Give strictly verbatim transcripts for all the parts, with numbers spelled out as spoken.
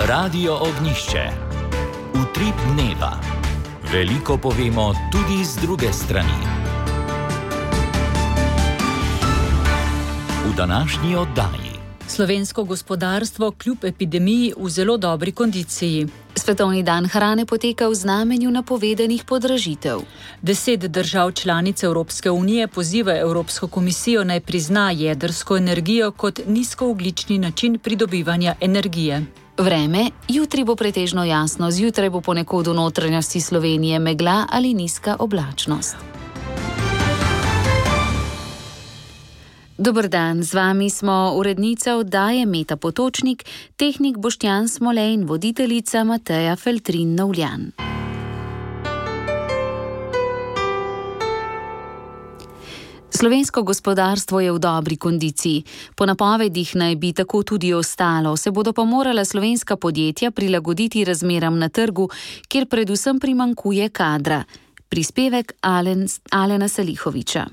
Radio Ognišče. Utrip dneva. Veliko povemo tudi z druge strani. V današnji oddaji. Slovensko gospodarstvo kljub epidemiji v zelo dobri kondiciji. Svetovni dan hrane poteka v znamenju napovedanih podražitev. Deset držav članic Evropske unije poziva Evropsko komisijo naj prizna jedrsko energijo kot nizkoogljični način pridobivanja energije. Vreme, jutri bo pretežno jasno, zjutraj bo ponekod v notranjosti Slovenije megla ali nizka oblačnost. Dober dan, z vami smo urednica oddaje Meta Potočnik, tehnik Boštjan Smole in voditeljica Mateja Feltrin-Novljan. Slovensko gospodarstvo je v dobri kondiciji. Po napovedih naj bi tako tudi ostalo, se bodo pa morala slovenska podjetja prilagoditi razmeram na trgu, kjer predvsem primanjkuje kadra. Prispevek Alen, Alena Salihoviča.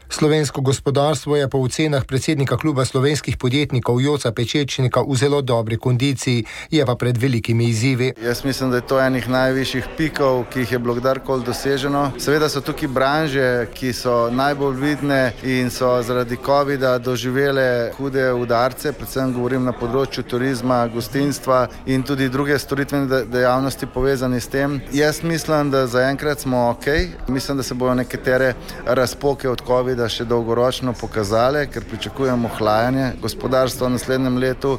Slovensko gospodarstvo je po ocenah predsednika kluba slovenskih podjetnikov Joca Pečečnika v zelo dobri kondiciji, je pa pred velikimi izzivi. Jaz mislim, da je to enih najvišjih pikov, ki jih je bilo kdarkoli doseženo. Seveda so tukaj branže, ki so najbolj vidne in so zaradi covida doživele hude udarce, predvsem govorim na področju turizma, gostinstva in tudi druge storitvene dejavnosti povezane s tem. Jaz mislim, da zaenkrat smo ok. Mislim, da se bodo nekatere razpoke od covida da še dolgoročno pokazale, ker pričakujemo ohlajanje gospodarstva v naslednjem letu.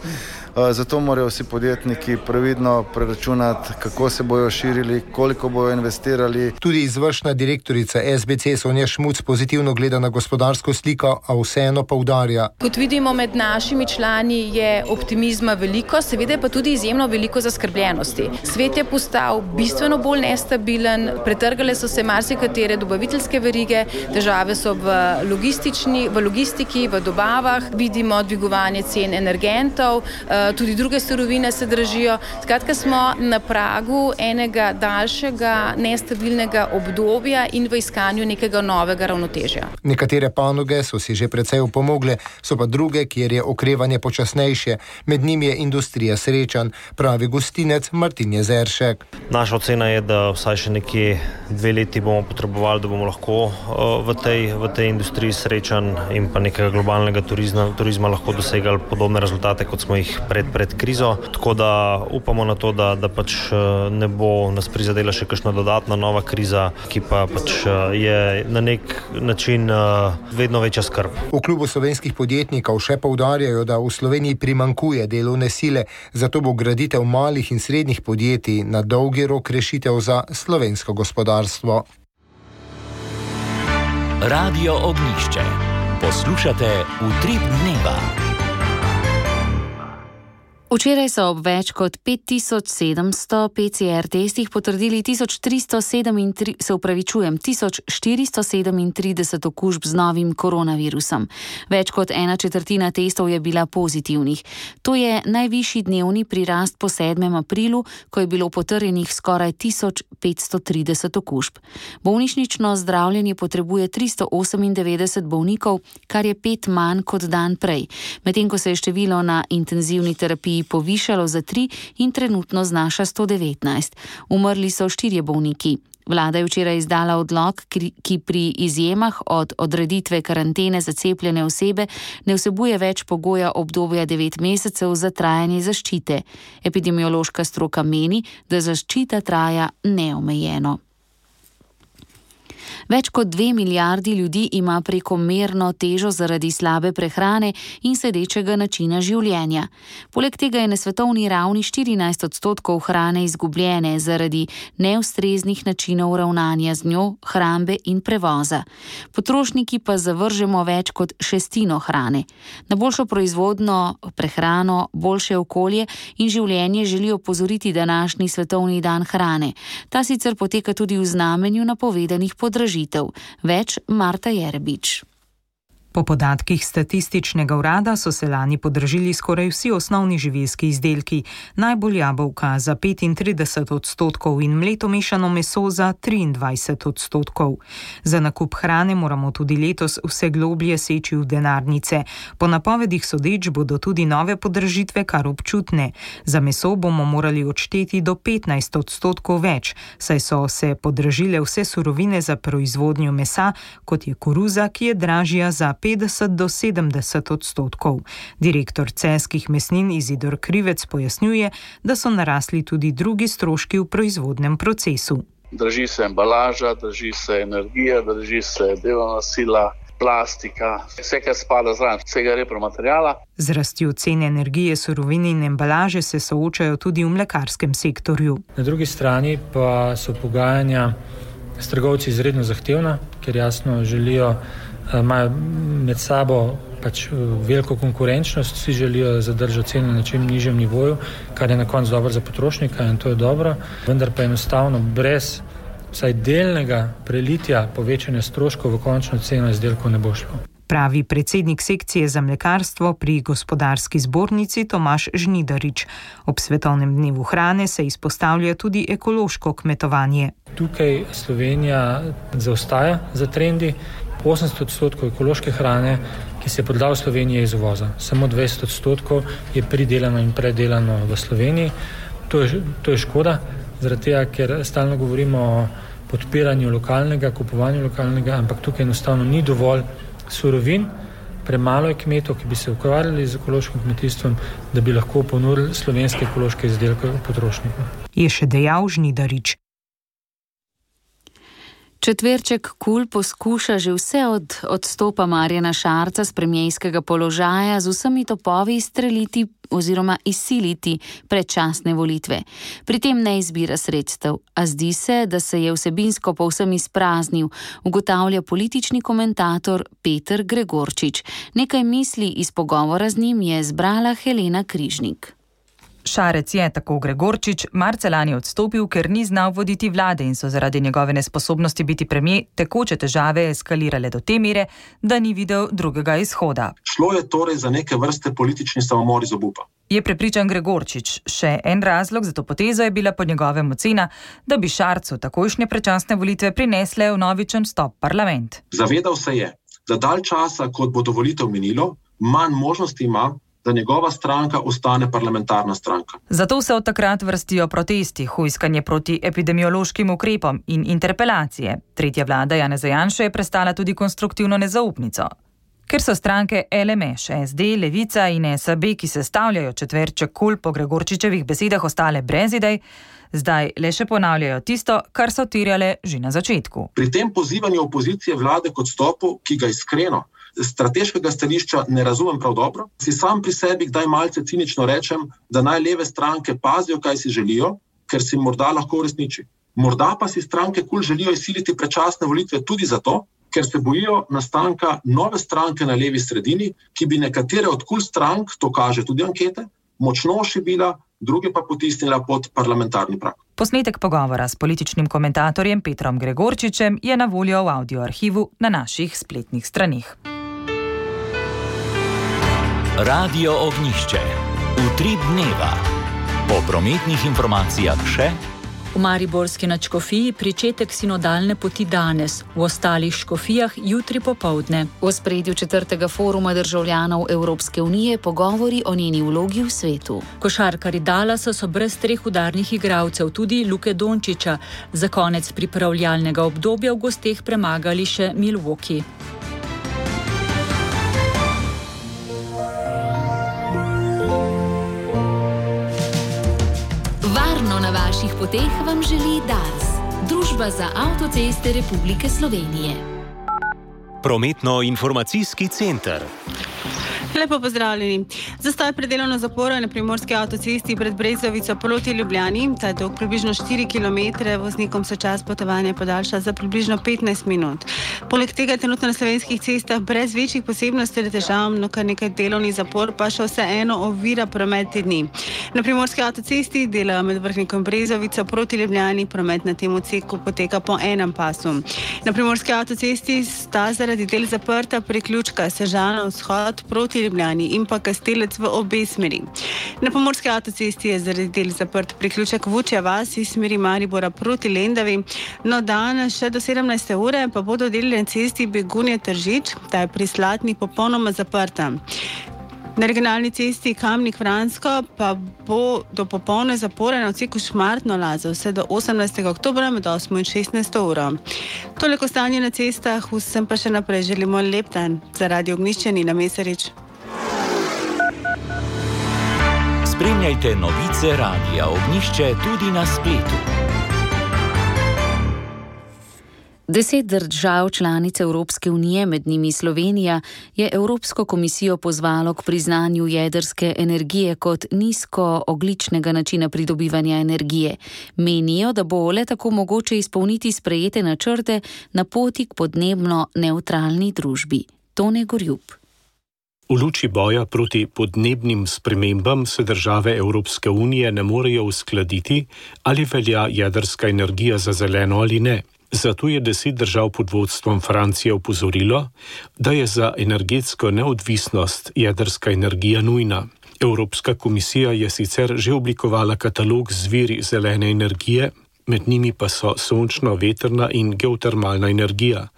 Zato morajo vsi podjetniki previdno preračunati, kako se bojo širili, koliko bojo investirali. Tudi izvršna direktorica S B C Sonja Šmuc pozitivno gleda na gospodarsko sliko, a vseeno poudarja. Kot vidimo med našimi člani je optimizma veliko, seveda pa tudi izjemno veliko zaskrbljenosti. Svet je postal bistveno bolj nestabilen, pretrgale so se marsikatere dobaviteljske verige, težave so v logistični, v logistiki, v dobavah, vidimo dvigovanje cen energentov, tudi druge surovine se dražijo. Skratka, smo na pragu enega daljšega nestabilnega obdobja in v iskanju nekega novega ravnotežja. Nekatere panoge so si že precej upomogle, so pa druge, kjer je okrevanje počasnejše. Med njimi je industrija srečanj, pravi gostinec Martin Jezeršek. Naša ocena je, da vsaj še nekje dve leti bomo potrebovali, da bomo lahko v tej, v tej industriji srečanj in pa nekega globalnega turizma, turizma lahko dosegali podobne rezultate, kot smo jih Pred, pred krizo, tako da upamo na to, da, da pač ne bo nas prizadela še kakšna dodatna nova kriza, ki pa pač je na nek način vedno večja skrb. V klubu slovenskih podjetnikov še poudarjajo, da v Sloveniji primanjkuje delovne sile, zato bo graditev malih in srednjih podjetij na dolgi rok rešitev za slovensko gospodarstvo. Radio Ognišče. Poslušate Utrip dneva. Včeraj so ob več kot pet tisoč sedemsto P C R testih potrdili tisoč tristo sedemintrideset, se upravičujem, tisoč štiristo sedemintrideset okužb z novim koronavirusom. Več kot ena četrtina testov je bila pozitivnih. To je najvišji dnevni prirast po sedmem aprilu, ko je bilo potrjenih skoraj tisoč petsto trideset okužb. Bolnišnično zdravljenje potrebuje tristo osemindevetdeset bolnikov, kar je pet manj kot dan prej, medtem ko se je število na intenzivni terapiji povišalo za tri in trenutno znaša sto devetnajst. Umrli so štirje bolniki. Vlada je včeraj izdala odlok, ki pri izjemah od odreditve karantene za cepljene osebe ne vsebuje več pogoja obdobja devet mesecev za trajanje zaščite. Epidemiološka stroka meni, da zaščita traja neomejeno. Več kot dve milijardi ljudi ima prekomerno težo zaradi slabe prehrane in sedečega načina življenja. Poleg tega je na svetovni ravni štirinajst odstotkov hrane izgubljene zaradi neustreznih načinov ravnanja z njo, hrambe in prevoza. Potrošniki pa zavržemo več kot šestino hrane. Na boljšo proizvodno prehrano, boljše okolje in življenje želijo opozoriti današnji svetovni dan hrane. Ta sicer poteka tudi v znamenju napovedanih podražitev. Več Marta Jerebič. Po podatkih statističnega urada so se lani podražili skoraj vsi osnovni živilski izdelki, najbolj jabolka za petintrideset odstotkov in mleto mešano meso za triindvajset odstotkov. Za nakup hrane moramo tudi letos vse globlje seči v denarnice. Po napovedih sodeč bodo tudi nove podražitve kar občutne. Za meso bomo morali odšteti do petnajst odstotkov več, saj so se podražile vse surovine za proizvodnjo mesa, kot je koruza, ki je dražja za petdeset do sedemdeset odstotkov. Direktor celjskih mesnin Izidor Krivec pojasnjuje, da so narasli tudi drugi stroški v proizvodnem procesu. Drži se embalaža, drži se energija, drži se delovna sila, plastika, vse, kar spada zraven, vsega repromaterijala. Z rastjo cene energije, surovin in embalaže se soočajo tudi v mlekarskem sektorju. Na drugi strani pa so pogajanja s trgovci izredno zahtevna, ker jasno želijo, imajo med sabo pač veliko konkurenčnost, vsi želijo zadržati cene na čim nižjem nivoju, kar je na koncu dobro za potrošnika in to je dobro, vendar pa enostavno brez vsaj delnega prelitja povečanja stroškov v končno ceno izdelkov ne bo šlo. Pravi predsednik sekcije za mlekarstvo pri Gospodarski zbornici Tomaž Žnidarič. Ob svetovnem dnevu hrane se izpostavlja tudi ekološko kmetovanje. Tukaj Slovenija zaostaja za trendi. osemdeset odstotkov ekološke hrane, ki se je prodala v Sloveniji, je iz uvoza. Samo dvajset odstotkov je pridelano in predelano v Sloveniji. To je, to je škoda, zaradi tega, ker stalno govorimo o podpiranju lokalnega, kupovanju lokalnega, ampak tukaj enostavno ni dovolj surovin, premalo je kmetov, ki bi se ukvarjali z ekološkim kmetijstvom, da bi lahko ponudili slovenske ekološke izdelke potrošnikom. Je še dejal Žnidarič. Četverček KUL poskuša že vse od odstopa Marjana Šarca z premierskega položaja z vsemi topovi izstreliti oziroma izsiliti predčasne volitve. Pri tem ne izbira sredstev, a zdi se, da se je vsebinsko povsem izpraznil, ugotavlja politični komentator Peter Gregorčič. Nekaj misli iz pogovora z njim je zbrala Helena Križnik. Šarec je, tako Gregorčič, marca lani odstopil, ker ni znal voditi vlade in so zaradi njegove nesposobnosti biti premier tekoče težave eskalirale do te mere, da ni videl drugega izhoda. Šlo je torej za neke vrste politični samomor iz obupa. Je prepričan Gregorčič. Še en razlog za to potezo je bila po njegovem ocena, da bi Šarcu takojšnje predčasne volitve prinesle vnovičen vstop v parlament. Zavedal se je, da dalj časa, kot bo do volitev minilo, manj možnosti ima, da njegova stranka ostane parlamentarna stranka. Zato se od takrat vrstijo protesti, hujskanje proti epidemiološkim ukrepom in interpelacije. Tretja vlada Janeza Janše je prestala tudi konstruktivno nezaupnico. Ker so stranke L M Š, S D, Levica in S A B, ki sestavljajo četverček KUL po Gregorčičevih besedah ostale brez idej, zdaj le še ponavljajo tisto, kar so terjale že na začetku. Pri tem pozivanju opozicije vlade k odstopu, ki ga iskreno strateškega stališča ne razumem prav dobro, si sam pri sebi kdaj malce cinično rečem, da naj leve stranke pazijo, kaj si želijo, ker si morda lahko uresniči. Morda pa si stranke KUL želijo izsiliti predčasne volitve tudi zato, ker se bojijo nastanka nove stranke na levi sredini, ki bi nekatere od KUL strank, to kaže tudi ankete, močno šibila, druge pa potisnila pod parlamentarni prag. Posnetek pogovora s političnim komentatorjem Petrom Gregorčičem je na voljo v audioarhivu na naših spletnih straneh. Radio Ognjišče. Utrip dneva. Po prometnih informacijah še v mariborski nadškofiji pričetek sinodalne poti danes, v ostalih škofijah jutri popoldne. V ospredju četrtega foruma državljanov Evropske unije pogovori o njeni vlogi v svetu. Košarkarji Dallasa so brez treh udarnih igralcev, tudi Luke Dončića, za konec pripravljalnega obdobja v gosteh premagali še Milwaukee. Na vaših poteh vam želi Dars, Družba za avtoceste Republike Slovenije. Prometno-informacijski center. Lepo pozdravljeni. Zastoj pred delovno zaporo je na primorski avtocesti pred Brezovico proti Ljubljani. Ta je dolg približno štiri kilometre, voznikom se čas potovanja podaljša za približno petnajst minut. Poleg tega je trenutno na slovenskih cestah brez večjih posebnosti ali težav, no kar nekaj delovni zapor pa še vseeno ovira promet te dni. Na primorski avtocesti delajo med Vrhnikom Brezovico proti Ljubljani, promet na tem odseku poteka po enem pasu. Na primorski avtocesti sta zaradi del zaprta priključka Sežana vzhod proti Ljubljani in pa Kastelec v obe smeri. Na pomorski avtocesti je zaradi del zaprt priključek Vučja vas iz smeri Maribora proti Lendavi. No, danes še do sedemnajste ure pa bodo deli na cesti Begunje-Tržič, ta je pri Slatni popolnoma zaprta. Na regionalni cesti Kamnik-Vransko pa bo do popolne zapore na odseku Šmartno-Lazo vse do osemnajstega oktobra med osmo in šestnajsto uro. Toliko stanje na cestah, vsem pa še naprej želimo lep dan. Za Radio Ognjišče Nina Mesarič. Spremljajte novice Radia Ognjišče tudi na spletu. Deset držav članic Evropske unije, med njimi Slovenija, je Evropsko komisijo pozvalo k priznanju jedrske energije kot nizkoogljičnega načina pridobivanja energije. Menijo, da bo le tako mogoče izpolniti sprejete načrte na poti k podnebno nevtralni družbi. Tone Gorjup. V luči boja proti podnebnim spremembam se države Evropske unije ne morejo uskladiti, ali velja jedrska energija za zeleno ali ne. Zato je deset držav pod vodstvom Francije opozorilo, da je za energetsko neodvisnost jedrska energija nujna. Evropska komisija je sicer že oblikovala katalog z viri zelene energije, med njimi pa so sončna, vetrna in geotermalna energija,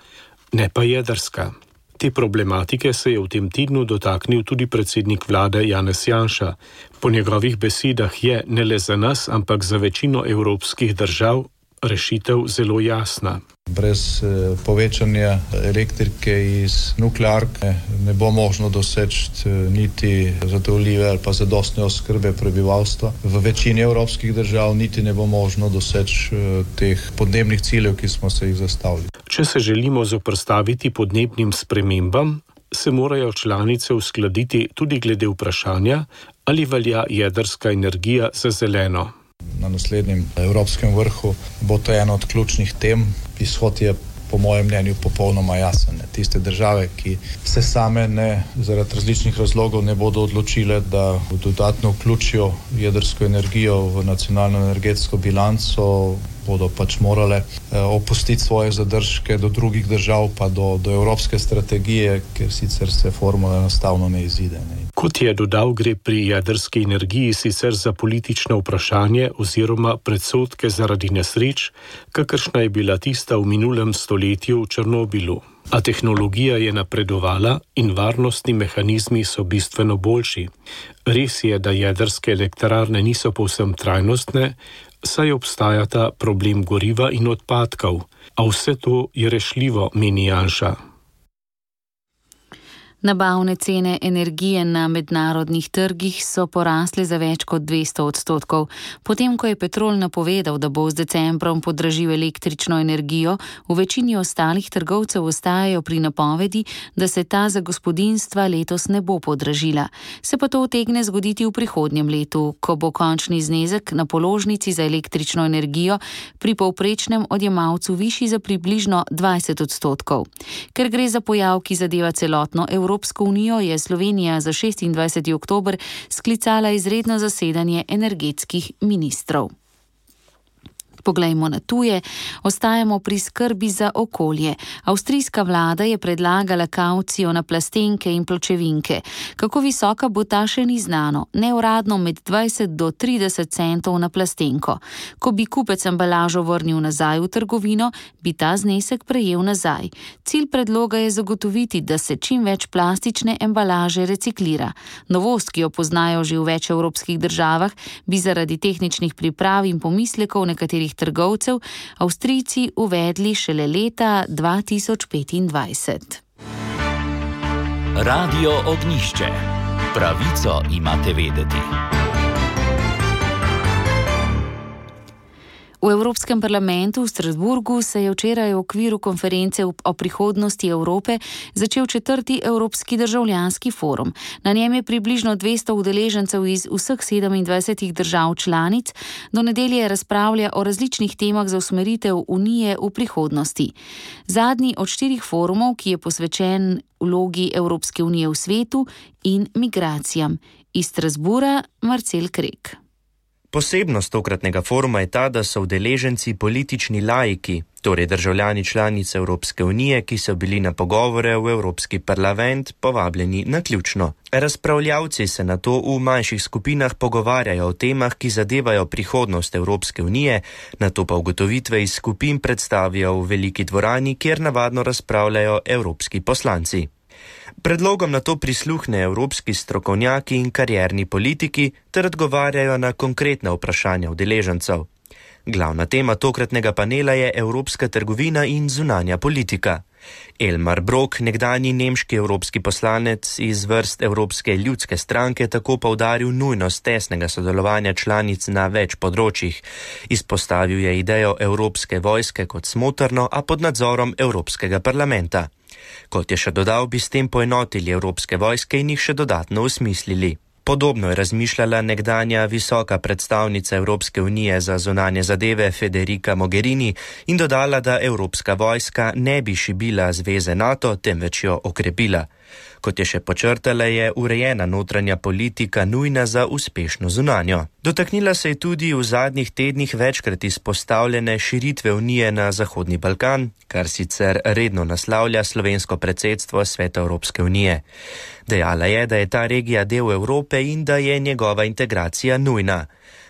ne pa jedrska. Te problematike se je v tem tednu dotaknil tudi predsednik vlade Janez Janša. Po njegovih besedah je ne le za nas, ampak za večino evropskih držav rešitev zelo jasna. Brez eh, povečanja elektrike iz nuklearke ne bo možno doseči eh, niti zadovoljive ali pa zadostne oskrbe prebivalstva. V večini evropskih držav niti ne bo možno doseči eh, teh podnebnih ciljev, ki smo se jih zastavili. Če se želimo zoperstaviti podnebnim spremembam, se morajo članice uskladiti tudi glede vprašanja, ali velja jedrska energija za zeleno. Na naslednjem evropskem vrhu bo to ena od ključnih tem. Izhod je po mojem mnenju popolnoma jasen. Tiste države, ki se same ne, zaradi različnih razlogov ne bodo odločile, da dodatno vključijo jedrsko energijo v nacionalno energetsko bilanco, bodo pač morale eh, opustiti svoje zadržke do drugih držav, pa do, do evropske strategije, ker sicer se formula enostavno ne izide. Ne. Kot je dodal, gre pri jedrski energiji sicer za politično vprašanje oziroma predsodke zaradi nesreč, kakršna je bila tista v minulem stoletju v Černobilu. A tehnologija je napredovala in varnostni mehanizmi so bistveno boljši. Res je, da jedrske elektrarne niso povsem trajnostne, saj obstajata problem goriva in odpadkov, a vse to je rešljivo, meni Janša. Nabavne cene energije na mednarodnih trgih so porasle za več kot dvesto odstotkov. Potem, ko je Petrol napovedal, da bo z decembrom podražil električno energijo, v večini ostalih trgovcev ostajajo pri napovedi, da se ta za gospodinjstva letos ne bo podražila. Se pa to utegne zgoditi v prihodnjem letu, ko bo končni znezek na položnici za električno energijo pri povprečnem odjemalcu višji za približno dvajset odstotkov. Ker gre za pojav, ki zadeva celotno Evropo, Evropsko unijo, je Slovenija za šestindvajseti oktober sklicala izredno zasedanje energetskih ministrov. Poglejmo na tuje, ostajamo pri skrbi za okolje. Avstrijska vlada je predlagala kavcijo na plastenke in pločevinke. Kako visoka bo ta, še ni znano, neuradno med dvajset do trideset centov na plastenko. Ko bi kupec embalažo vrnil nazaj v trgovino, bi ta znesek prejel nazaj. Cilj predloga je zagotoviti, da se čim več plastične embalaže reciklira. Novost, ki jo poznajo že v več evropskih državah, bi zaradi tehničnih priprav in pomislekov nekaterih trgovcev Avstrijci uvedli šele leta dva tisoč petindvajset. Radio Ognjišče. Pravico imate vedeti. V Evropskem parlamentu v Strasburgu se je včeraj v okviru konference o prihodnosti Evrope začel četrti Evropski državljanski forum. Na njem je približno dvesto udeležencev iz vseh sedemindvajsetih držav članic. Do nedelje razpravlja o različnih temah za usmeritev Unije v prihodnosti. Zadnji od štirih forumov, ki je posvečen vlogi Evropske unije v svetu in migracijam. Iz Strasbura Marcel Krek. Posebnost tokratnega foruma je ta, da so udeleženci politični laiki, torej državljani članice Evropske unije, ki so bili na pogovore v Evropski parlament povabljeni naključno. Razpravljavci se nato v manjših skupinah pogovarjajo o temah, ki zadevajo prihodnost Evropske unije, nato pa ugotovitve iz skupin predstavijo v veliki dvorani, kjer navadno razpravljajo evropski poslanci. Predlogom na to prisluhne evropski strokovnjaki in karierni politiki ter odgovarjajo na konkretna vprašanja udeležencev. Glavna tema tokratnega panela je evropska trgovina in zunanja politika. Elmar Brok, nekdanji nemški evropski poslanec iz vrst Evropske ljudske stranke, tako poudaril nujnost tesnega sodelovanja članic na več področjih. Izpostavil je idejo evropske vojske kot smotrno, a pod nadzorom Evropskega parlamenta. Kot je še dodal, bi s tem poenotili evropske vojske in jih še dodatno usmislili. Podobno je razmišljala nekdanja visoka predstavnica Evropske unije za zunanje zadeve Federica Mogherini in dodala, da evropska vojska ne bi šibila zveze NATO, temveč jo okrepila. Kot je še počrtala, je urejena notranja politika nujna za uspešno zunanjo. Dotaknila se je tudi v zadnjih tednih večkrat izpostavljene širitve Unije na Zahodni Balkan, kar sicer redno naslavlja slovensko predsedstvo Sveta Evropske unije. Dejala je, da je ta regija del Evrope in da je njegova integracija nujna.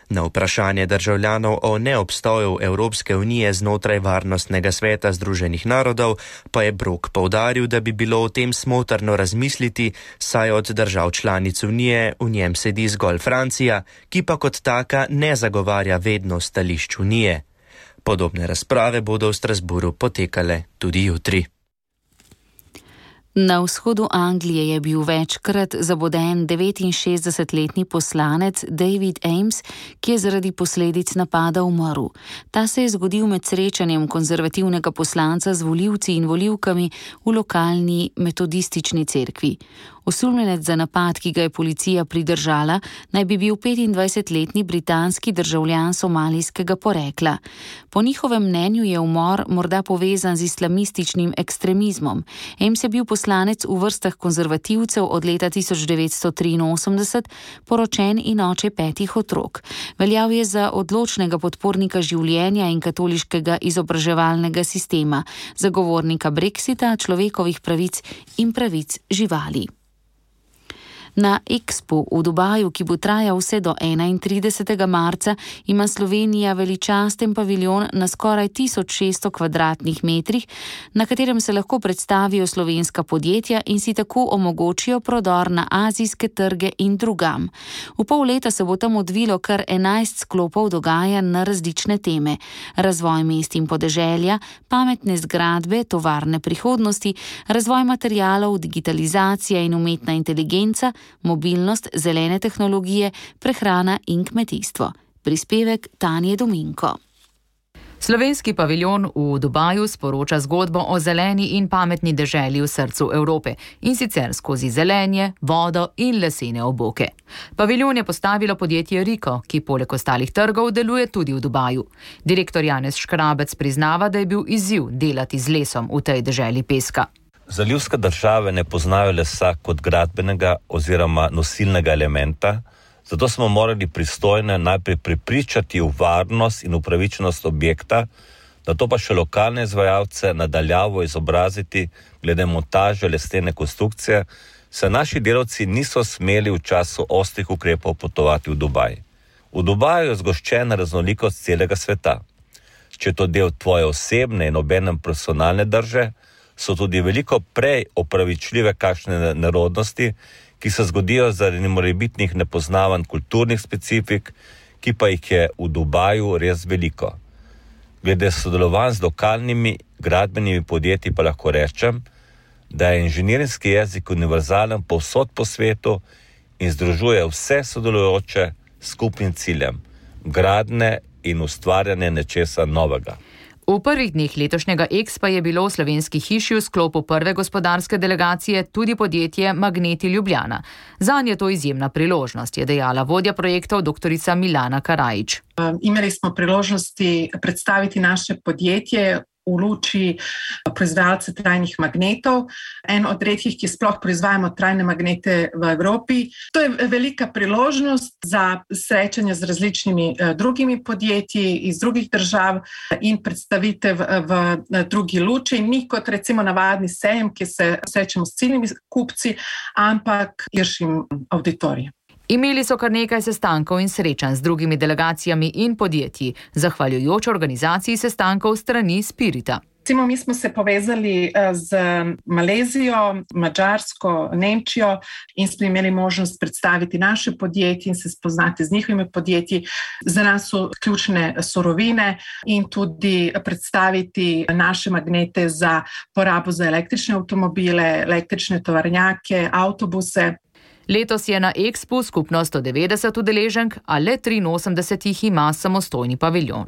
Na vprašanje državljanov o neobstoju Evropske unije znotraj Varnostnega sveta Združenih narodov pa je Brok poudaril, da bi bilo o tem smotrno razmisliti, saj od držav članic unije v njem sedi zgolj Francija, ki pa kot taka ne zagovarja vedno stališč unije. Podobne razprave bodo v Strasburu potekale tudi jutri. Na vzhodu Anglije je bil večkrat zaboden devetinšestdesetletni poslanec David Ames, ki je zaradi posledic napada umrl. Ta se je zgodil med srečanjem konzervativnega poslanca z volivci in volivkami v lokalni metodistični cerkvi. Osumljenec za napad, ki ga je policija pridržala, naj bi bil petindvajsetletni britanski državljan somalijskega porekla. Po njihovem mnenju je umor morda povezan z islamističnim ekstremizmom. Ames je bil poslanec v vrstah konzervativcev od leta tisoč devetsto triinosemdeset, poročen in oče petih otrok. Veljal je za odločnega podpornika življenja in katoliškega izobraževalnega sistema, zagovornika Brexita, človekovih pravic in pravic živali. Na Expu v Dubaju, ki bo trajal vse do enaintridesetega marca, ima Slovenija veličasten paviljon na skoraj tisoč šeststo kvadratnih metrih, na katerem se lahko predstavijo slovenska podjetja in si tako omogočijo prodor na azijske trge in drugam. V pol leta se bo tam odvilo kar enajst sklopov dogajanj na različne teme: razvoj mest in podeželja, pametne zgradbe, tovarne prihodnosti, razvoj materialov, digitalizacija in umetna inteligenca, mobilnost, zelene tehnologije, prehrana in kmetijstvo. Prispevek Tanje Dominko. Slovenski paviljon v Dubaju sporoča zgodbo o zeleni in pametni deželi v srcu Evrope, in sicer skozi zelenje, vodo in lesene oboke. Paviljon je postavilo podjetje Riko, ki poleg ostalih trgov deluje tudi v Dubaju. Direktor Janez Škrabec priznava, da je bil izziv delati z lesom v tej deželi peska. Zalivske države ne poznajo lesa kot gradbenega oziroma nosilnega elementa, zato smo morali pristojne najprej prepričati v varnost in upravičenost objekta, nato pa še lokalne izvajalce nadaljavo izobraziti glede montaže lesene konstrukcije, saj naši delavci niso smeli v času ostrih ukrepov potovati v Dubaj. V Dubaju je zgoščena raznolikost celega sveta. Če je to del tvoje osebne in obenem profesionalne drže, so tudi veliko prej opravičljive kakšne nerodnosti, ki se zgodijo zaradi morebitnih nepoznavanj kulturnih specifik, ki pa jih je v Dubaju res veliko. Glede sodelovanj z lokalnimi gradbenimi podjetji pa lahko rečem, da je inženirski jezik univerzalen povsod po svetu in združuje vse sodelujoče s skupnim ciljem, gradnje in ustvarjanje nečesa novega. V prvih dneh letošnjega Expa je bilo v Slovenski hiši v sklopu prve gospodarske delegacije tudi podjetje Magneti Ljubljana. Zanj je to izjemna priložnost, je dejala vodja projektov doktorica Milana Karajič. Imeli smo priložnosti predstaviti naše podjetje v luči proizvajalce trajnih magnetov, en od redkih, ki sploh proizvajamo trajne magnete v Evropi. To je velika priložnost za srečanje z različnimi drugimi podjetji iz drugih držav in predstavitev v drugi luči. Ni kot recimo navadni sejem, ki se srečamo s ciljnimi kupci, ampak širšim auditorijem. Imeli so kar nekaj sestankov in srečanj z drugimi delegacijami in podjetji, zahvaljujoč organizaciji sestankov strani Spirita. Recimo, mi smo se povezali z Malezijo, Madžarsko, Nemčijo in smo imeli možnost predstaviti naše podjetje in se spoznati z njihovimi podjetji. Za nas so ključne surovine in tudi predstaviti naše magnete za porabo za električne avtomobile, električne tovornjake, avtobuse. Letos je na Expu skupno sto devetdeset udeleženk, a le triinosemdeset jih ima samostojni paviljon.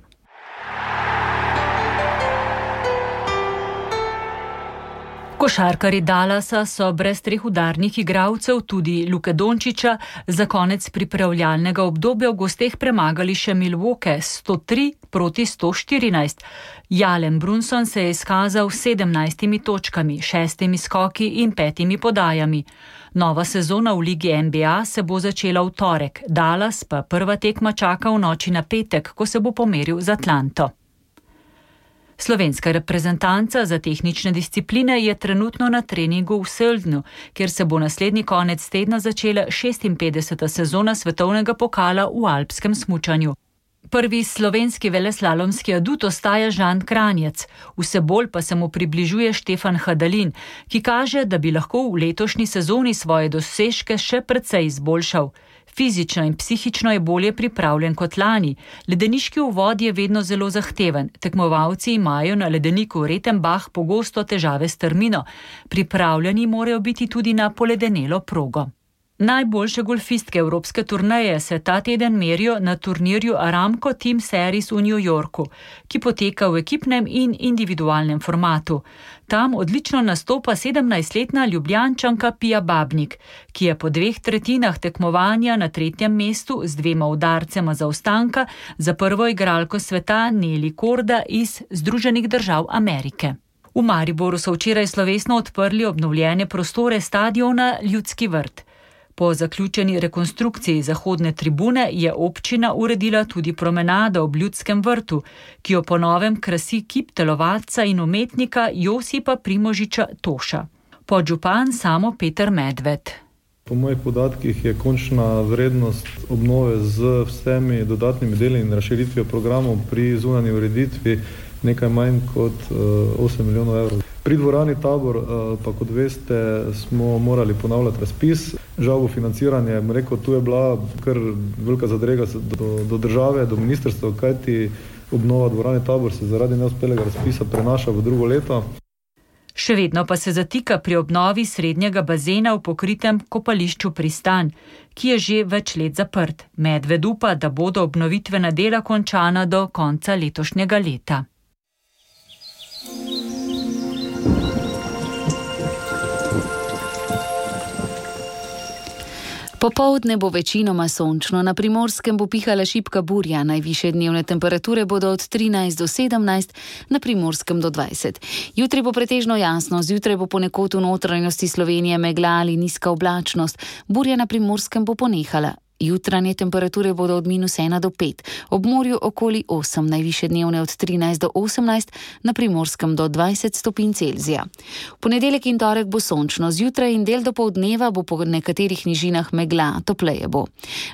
Košarkarji Dallasa so brez treh udarnih igralcev, tudi Luke Dončića, za konec pripravljalnega obdobja v gosteh premagali še Milwaukee sto tri proti sto štirinajst. Jalen Brunson se je izkazal s sedemnajstimi točkami, šestimi skoki in petimi podajami. Nova sezona v ligi N B A se bo začela v torek, Dallas pa prva tekma čaka v noči na petek, ko se bo pomeril z Atlanto. Slovenska reprezentanca za tehnične discipline je trenutno na treningu v Söldnu, kjer se bo naslednji konec tedna začela šestinpetdeseta sezona svetovnega pokala v alpskem smučanju. Prvi slovenski veleslalomski adut ostaja Žan Kranjec, vse bolj pa se mu približuje Štefan Hadalin, ki kaže, da bi lahko v letošnji sezoni svoje dosežke še precej izboljšal. Fizično in psihično je bolje pripravljen kot lani. Ledeniški uvod je vedno zelo zahteven. Tekmovalci imajo na ledeniku Retenbach pogosto težave s strmino. Pripravljeni morajo biti tudi na poledenelo progo. Najboljše golfistke evropske turneje se ta teden merijo na turnirju Aramco Team Series v New Yorku, ki poteka v ekipnem in individualnem formatu. Tam odlično nastopa sedemnajstletna Ljubljančanka Pia Babnik, ki je po dveh tretjinah tekmovanja na tretjem mestu z dvema udarcema zaostanka za prvo igralko sveta Nelly Korda iz Združenih držav Amerike. V Mariboru so včeraj slovesno odprli obnovljene prostore stadiona Ljudski vrt. Po zaključeni rekonstrukciji zahodne tribune je občina uredila tudi promenado ob Ljudskem vrtu, ki jo po novem krasi kip telovadca in umetnika Josipa Primožiča Toša. Podžupan Samo Peter Medved. Po mojih podatkih je končna vrednost obnove z vsemi dodatnimi deli in razširitvijo programov pri zunanji ureditvi nekaj manj kot osem milijonov evrov. Pri dvorani Tabor, pa kot veste, smo morali ponavljati razpis. Žal bo financiranje, bom rekel, tu je bila kar velika zadrega do, do države, do ministrstva, kajti obnova dvorane Tabor se zaradi neuspelega razpisa prenaša v drugo leto. Še vedno pa se zatika pri obnovi srednjega bazena v pokritem kopališču Pristan, ki je že več let zaprt. Medved upa, da bodo obnovitvena dela končana do konca letošnjega leta. Popoldne bo večinoma sončno, na Primorskem bo pihala šibka burja, najvišje dnevne temperature bodo od trinajst do sedemnajst, na Primorskem do dvajset. Jutri bo pretežno jasno, zjutraj bo ponekod v notranjosti Slovenije megla ali nizka oblačnost, burja na Primorskem bo ponehala. Jutranje temperature bodo od minus ena do pet, ob morju okoli osem, najvišje dnevne od trinajst do osemnajst, na Primorskem do dvajset stopinj Celzija. V ponedeljek in torek bo sončno, zjutraj in del dopoldneva bo po nekaterih nižinah megla, topleje bo.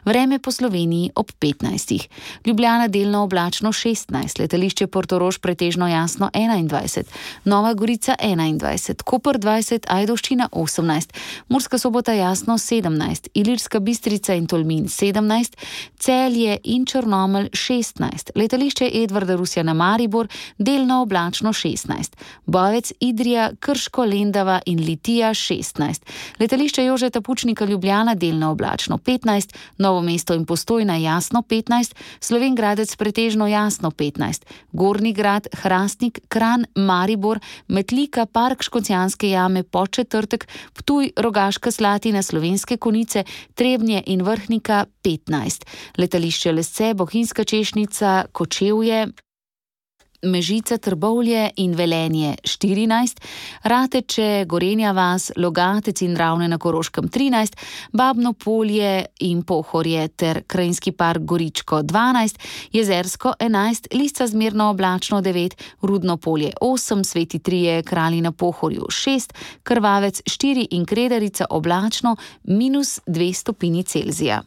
Vreme po Sloveniji ob petnajstih. Ljubljana delno oblačno šestnajst, letališče Portorož pretežno jasno enaindvajset, Nova Gorica enaindvajset, Koper dvajset, Ajdovščina osemnajst, Murska Sobota jasno sedemnajst, Ilirska Bistrica in Tolmin Tolmin sedemnajst, Celje in Črnomelj šestnajst, letališče Edvarda Rusjana Maribor delno oblačno šestnajst, Bovec, Idrija, Krško, Lendava in Litija šestnajst, letališče Jožeta Pučnika Ljubljana delno oblačno petnajst, Novo mesto in Postojna jasno petnajst, Slovenj Gradec pretežno jasno petnajst, Gornji Grad, Hrastnik, Kranj, Maribor, Metlika, Park Škocjanske jame, Podčetrtek, Ptuj, Rogaška Slatina, Slovenske Konjice, Trebnje in Vrhnika petnajst, letališče Lesce, Bohinjska Češnica, Kočevje, Mežica, Trbovlje in Velenje štirinajst, Rateče, Gorenja vas, Logatec in Ravne na Koroškem trinajst, Babno Polje in Pohorje ter Krajinski park Goričko dvanajst, Jezersko enajst, Lisca zmerno oblačno devet, Rudno Polje osem, Sveti Trije, Kralji na Pohorju šest, Krvavec štiri in Kredarica oblačno minus dve stopinji Celzija.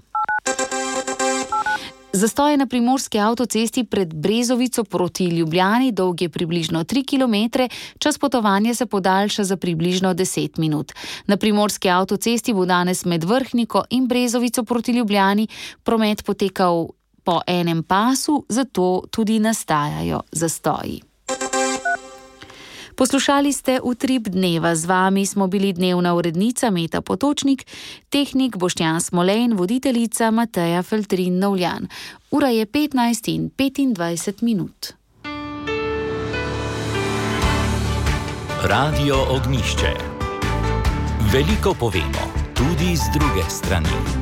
Zastoj na primorski avtocesti pred Brezovico proti Ljubljani, dolg je približno tri kilometre, čas potovanja se podaljša za približno deset minut. Na primorski avtocesti bo danes med Vrhniko in Brezovico proti Ljubljani promet potekal po enem pasu, zato tudi nastajajo zastoji. Poslušali ste Utrip dneva, z vami smo bili dnevna urednica Meta Potočnik, tehnik Boštjan Smolej in voditeljica Mateja Feltrin Novljan. Ura je petnajst in petindvajset minut. Radio Ognjišče. Veliko povemo, tudi z druge strani.